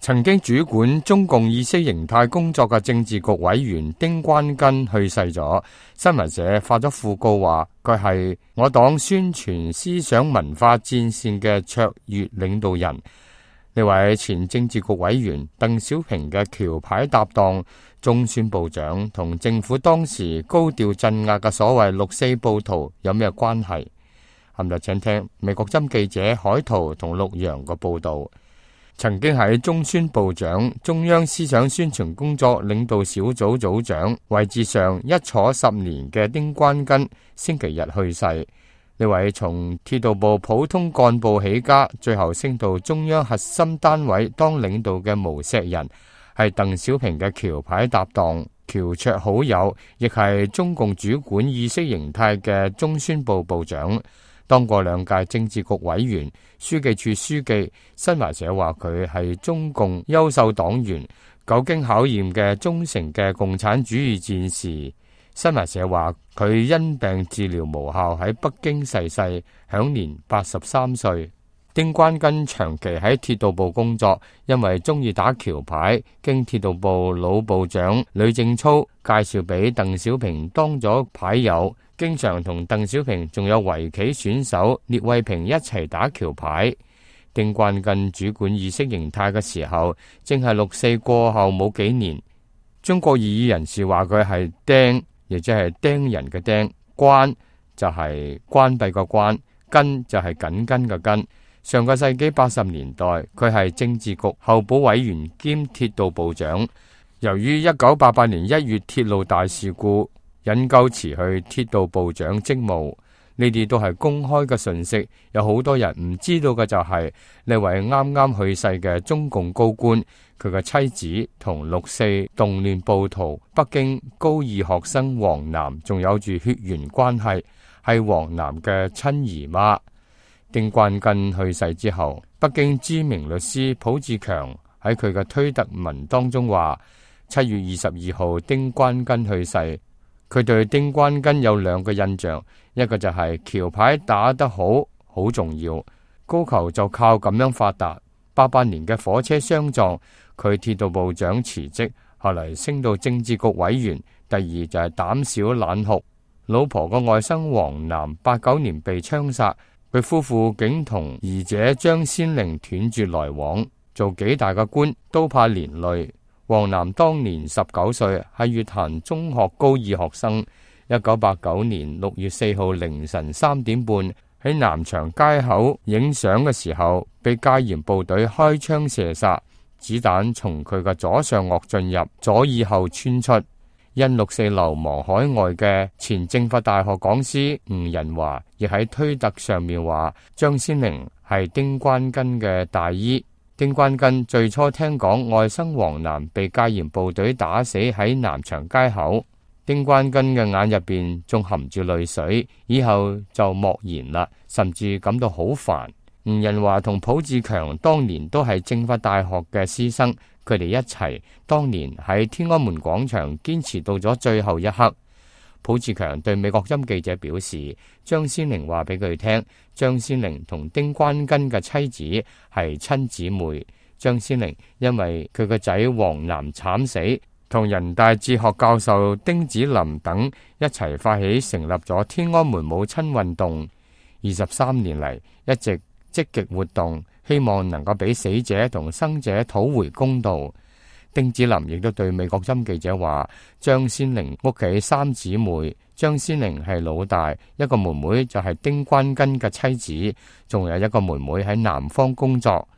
曾經主管中共意識形態工作嘅政治局委員丁關根去世咗。新聞社發咗訃告話，佢係我黨宣傳思想文化戰線嘅卓越領導人。呢位前政治局委員鄧小平嘅橋牌搭檔、中宣部長，同政府當時高調鎮壓嘅所謂六四暴徒有咩關係？今日請聽美國針記者海濤同陸洋嘅報道。曾經喺中宣部長、中央思想宣傳工作領導小組組長位置上一坐10年嘅丁關根星期日去世。呢位從鐵道部普通幹部起家，最後升到中央核心單位當領導嘅無錫人，係鄧小平嘅橋牌搭檔、橋桌好友，亦係中共主管意識形態嘅中宣部部長。當過2屆政治局委員、書記處書記。新華社話佢係中共優秀黨員，久經考驗嘅忠誠嘅共產主義戰士。新華社話佢因病治療無效喺北京逝世，享年83歲。丁關根長期喺鐵道部工作，因為中意打橋牌，經鐵道部老部長呂正操介紹俾鄧小平當咗牌友，經常同鄧小平仲有圍棋選手聶衛平一齊打橋牌。丁關根主管意識形態嘅時候，正係6四過後冇幾年。中國異議人士話佢係釘，亦即係釘人嘅釘，關就係關閉個關，根就係緊跟嘅根。上個世紀80年代，佢係政治局候補委員兼鐵道部長。由於1988年1月鐵路大事故，引咎辭去鐵道部長職務。呢啲都係公開嘅信息，有好多人唔知道嘅就係呢位啱啱去世嘅中共高官，佢嘅妻子同6四動亂暴徒北京高二學生王楠仲有住血緣關係，係王楠嘅親姨媽。丁關根去世之後，北京知名律師浦志強喺佢嘅推特文當中話，7月22號丁關根去世。佢對丁關根有2個印象，一個就係橋牌打得好重要，高球就靠咁樣發達。88年嘅火車相撞，佢鐵道部長辭職，後嚟升到政治局委員。第二就係膽小懶酷，老婆個外甥王楠89年被槍殺，佢夫婦竟同兒姐張先玲斷絕來往，做幾大嘅官都怕連累。王楠當年19歲，係粵壇中學高2學生。1989年6月4號凌晨3點半喺南翔街口影相嘅時候，被戒嚴部隊開槍射殺，子彈從佢嘅左上顎進入，左耳後穿出。因6四流亡海外嘅前政法大學講師吳仁華亦喺推特上面話，張先玲係丁關根嘅大姨。丁關根最初聽講外甥王楠被戒嚴部隊打死喺南翔街口，丁關根嘅眼入邊仲含住淚水，以後就莫言啦，甚至感到好煩。吳仁華同浦志強當年都係政法大學嘅師生，佢哋一齊當年喺天安門廣場堅持到咗最後一刻。浦志強對美國音記者表示，張先玲話俾佢聽，張先玲同丁關根嘅妻子係親姊妹。張先玲因為佢個仔王楠慘死，同人大哲學教授丁子霖等一齊發起成立咗天安門母親運動，23年嚟一直積極活動，希望能夠俾死者同生者討回公道。丁子霖亦都對美國音記者話，張先玲屋企3姊妹，張先玲係老大，一個妹妹就係丁關根嘅妻子，仲有一個妹妹喺南方工作。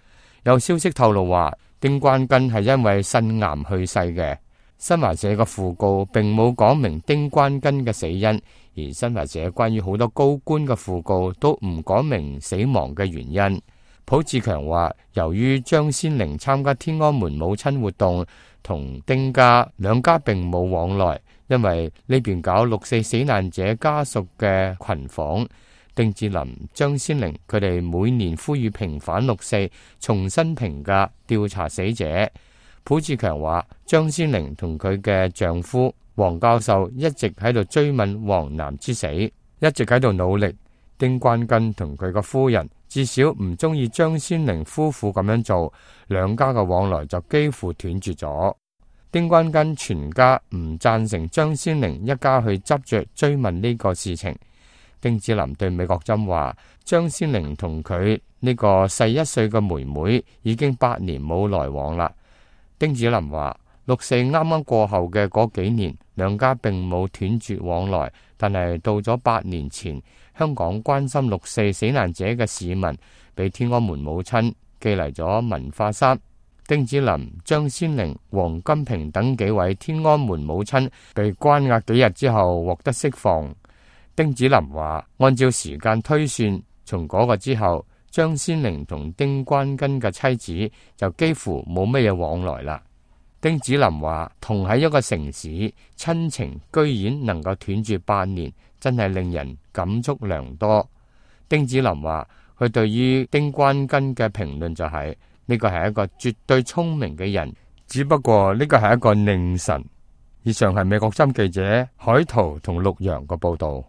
有消息透露話，丁關根係因為腎癌去世嘅。新華社嘅訃告並冇講明丁關根嘅死因，而新華社關於好多高官嘅訃告都唔講明死亡嘅原因。浦志強話，由於張先玲參加天安門母親活動，同丁家兩家並冇往來，因為呢邊搞6四死難者家屬嘅群訪。丁子霖、張先玲佢哋每年呼籲平反6四，重新評價調查死者。浦志強話，張先玲同佢嘅丈夫王教授一直喺度追問王楠之死，一直喺度努力。丁關根同佢個夫人至少唔中意張先玲夫婦咁樣做，兩家嘅往來就幾乎斷絕咗。丁關根全家唔贊成張先玲一家去執着追問呢個事情。丁子霖對美國針話，張先玲同佢呢個細1歲嘅妹妹已經8年冇來往啦。丁子霖話，6·4啱啱過後嘅嗰幾年，兩家並冇斷絕往來，但係到咗8年前，香港關心6·4死難者嘅市民俾天安門母親寄嚟咗文化衫。丁子霖、張先玲、王金平等幾位天安門母親被關押幾日之後獲得釋放。丁子霖話，按照時間推算，從嗰個之後，張先玲同丁關根嘅妻子就幾乎冇乜嘢往來啦。丁子霖話，同喺一個城市，親情居然能夠斷絕8年，真係令人感觸良多。丁子霖話，佢對於丁關根嘅評論就係，呢個係一個絕對聰明嘅人，只不過呢個係一個佞臣。以上係美國針記者海濤同陸陽嘅報道。